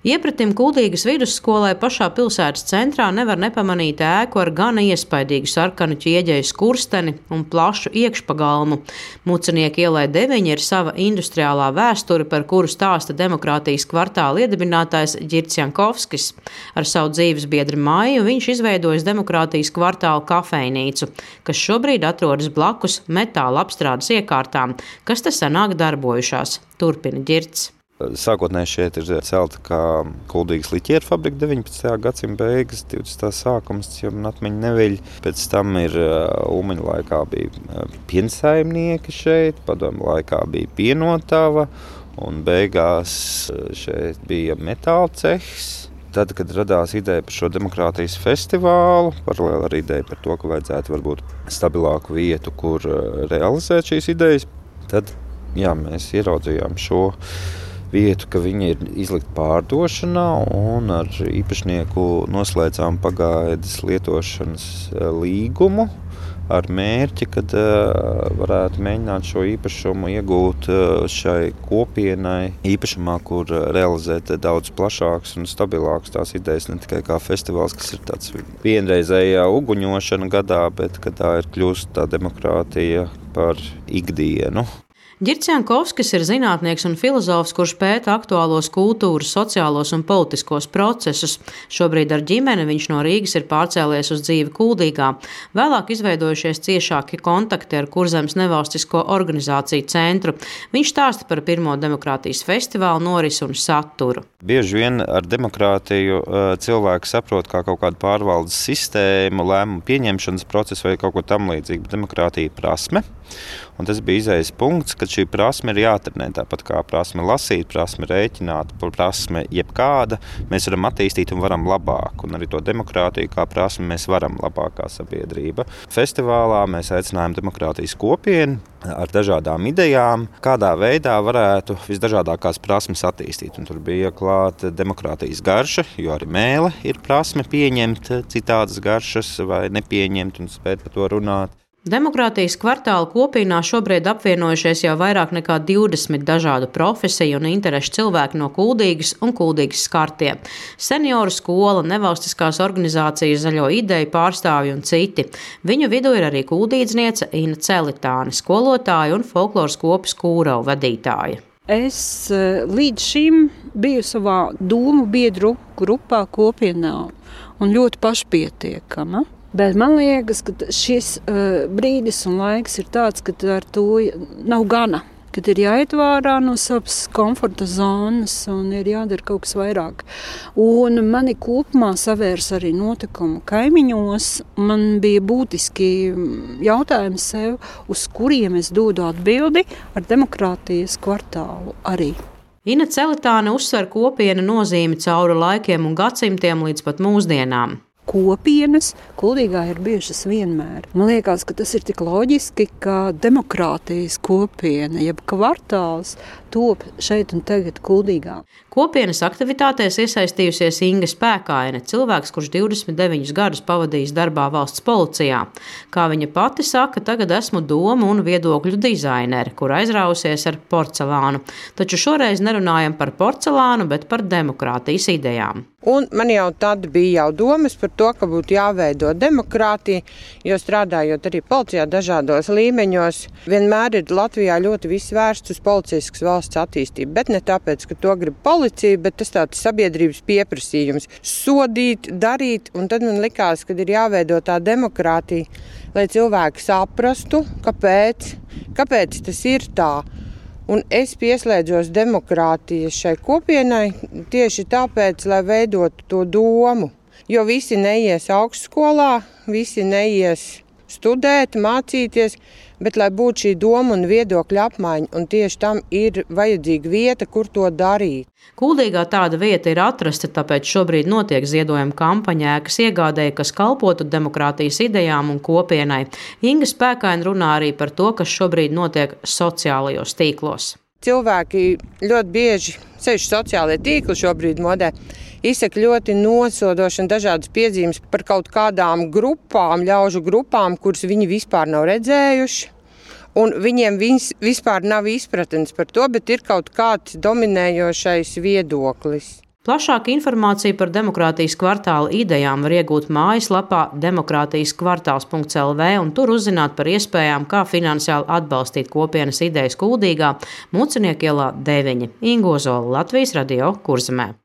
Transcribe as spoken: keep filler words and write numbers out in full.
Iepratim Kuldīgas vidusskolai pašā pilsētas centrā nevar nepamanīt ēku ar gana iespaidīgu sarkanu ķieģeju skursteni un plašu iekšpagalmu. Mucinieka ielai deviņi ir sava industriālā vēsture, par kuru stāsta Demokrātijas kvartāla iedibinātājs Ģirds Jankovskis. Ar savu dzīves biedru Maiju viņš izveidojis Demokrātijas kvartāla kafejnīcu, kas šobrīd atrodas blakus metāla apstrādes iekārtām, kas te senāk darbojušās. Turpina Ģirds. Sākotnēji šeit ir celta kā Kuldīgas liķieru fabrika deviņpadsmitā gadsimta beigas, divdesmitā sākums, jo man atmiņa neviļ. Pēc tam ir Ulmaņa laikā bija piensaimnieki šeit, padomju laikā bija pienotava un beigās šeit bija metāla cehs. Tad, kad radās ideja par šo demokrātijas festivālu, paralēli ar ideju par to, ka vajadzētu varbūt stabilāku vietu, kur realizēt šīs idejas, tad jā, mēs ieraudzījām šo vietu, ka viņi ir izlikti pārdošanā, un ar īpašnieku noslēdzām pagaidas lietošanas līgumu ar mērķi, kad varētu mēģināt šo īpašumu iegūt šai kopienai īpašumā, kur realizēt daudz plašāks un stabilāks tās idejas, ne tikai kā festivāls, kas ir tāds vienreizējā uguņošana gadā, bet kad tā ir kļūst tā demokrātija par ikdienu. Ģirds Jankovskis ir zinātnieks un filozofs, kurš pēta aktuālos kultūras, sociālos un politiskos procesus. Šobrīd ar ģimeni viņš no Rīgas ir pārcēlies uz dzīvi Kuldīgā. Vēlāk izveidojušies ciešāki kontakti ar Kurzemes nevalstisko organizāciju centru. Viņš stāsta par pirmo demokrātijas festivālu norisi un saturu. Bieži vien ar demokrātiju cilvēki saprot kā kaut kādu pārvaldes sistēmu, lēmumu pieņemšanas procesu vai kaut ko tam līdzīgu. Demokrātija prasme. Un tas bija izējas punkts, kad šī prasme ir jātrenē. Tāpat kā prasme lasīt, prasme rēķināt, prasme jebkāda, mēs varam attīstīt un varam labāk. Un arī to demokrātiju kā prasme mēs varam labākā sabiedrība. Festivālā mēs aicinājām demokrātijas kopienu ar dažādām idejām, kādā veidā varētu visdažādākās prasmes attīstīt. Un tur bija klāta demokrātijas garša, jo arī mēle ir prasme pieņemt citādas garšas vai nepieņemt un spēt par to runāt. Demokrātijas kvartāla kopienā šobrīd apvienojušies jau vairāk nekā divdesmit dažādu profesiju un interešu cilvēki no Kuldīgas un Kuldīgas skartie. Senioru skola, nevalstiskās organizācijas, Zaļo ideju pārstāvji un citi. Viņu vidū ir arī kuldīdzniece Ina Celitāne, skolotāja un folkloras kopas Kūrau vadītāja. Es līdz šim biju savā domu biedru grupā kopienā un ļoti pašpietiekama. Bet man liekas, ka šis uh, brīdis un laiks ir tāds, ka ar to nav gana. Kad ir jāiet vārā no savas komforta zonas un ir jādara kaut kas vairāk. Un mani kopumā savērs arī notikumu kaimiņos. Man bija būtiski jautājumi sev, uz kuriem es dodu atbildi ar demokrātijas kvartālu arī. Ina Celitāne uzsver kopiena nozīmi cauri laikiem un gadsimtiem līdz pat mūsdienām. Kopienas Kuldīgā ir bijušas vienmēr. Man liekas, ka tas ir tik loģiski, ka demokrātijas kopiena, jeb kvartāls, top šeit un tagad Kuldīgā. Kopienas aktivitātēs iesaistījusies Inga Spēkaine, cilvēks, kurš divdesmit deviņus gadus pavadījis darbā valsts policijā. Kā viņa pati saka, tagad esmu domu un viedokļu dizainere, kur aizrausies ar porcelānu. Taču šoreiz nerunājam par porcelānu, bet par demokrātijas idejām. Un man jau tad bija jau domas par to, ka būtu jāveido demokrātija, jo strādājot arī policijā dažādos līmeņos, vienmēr ir Latvijā ļoti viss vērsts uz policiskas valsts attīstību, bet ne tāpēc, ka to grib policija, bet tas tāds sabiedrības pieprasījums. Sodīt, darīt, un tad man likās, ka ir jāveido tā demokrātija, lai cilvēki saprastu, kāpēc, kāpēc tas ir tā. Un es pieslēdzos demokrātijas šai kopienai tieši tāpēc, lai veidotu to domu. Jo visi neies augstskolā, visi neies studēt, mācīties, bet lai būtu šī doma un viedokļa apmaiņa, un tieši tam ir vajadzīga vieta, kur to darīt. Kuldīgā tāda vieta ir atrasta, tāpēc šobrīd notiek ziedojuma kampaņa ēkas iegādēji, kas kalpotu demokrātijas idejām un kopienai. Inga Spēkaine runā arī par to, kas šobrīd notiek sociālajos tīklos. Cilvēki ļoti bieži, sevišķi sociālie tīkli šobrīd modē, izsaka ļoti nosodoši un dažādas piezīmes par kaut kādām grupām, ļaužu grupām, kuras viņi vispār nav redzējuši. Un viņiem vis, vispār nav izpratnes par to, bet ir kaut kāds dominējošais viedoklis. Plašāku informāciju par demokrātijas kvartāla idejām var iegūt mājaslapā demokrātijas kvartāls punkts el vē un tur uzzināt par iespējām, kā finansiāli atbalstīt kopienas idejas Kuldīgā, Mucinieku ielā deviņi. Inga Ozola, Latvijas Radio, Kurzemē.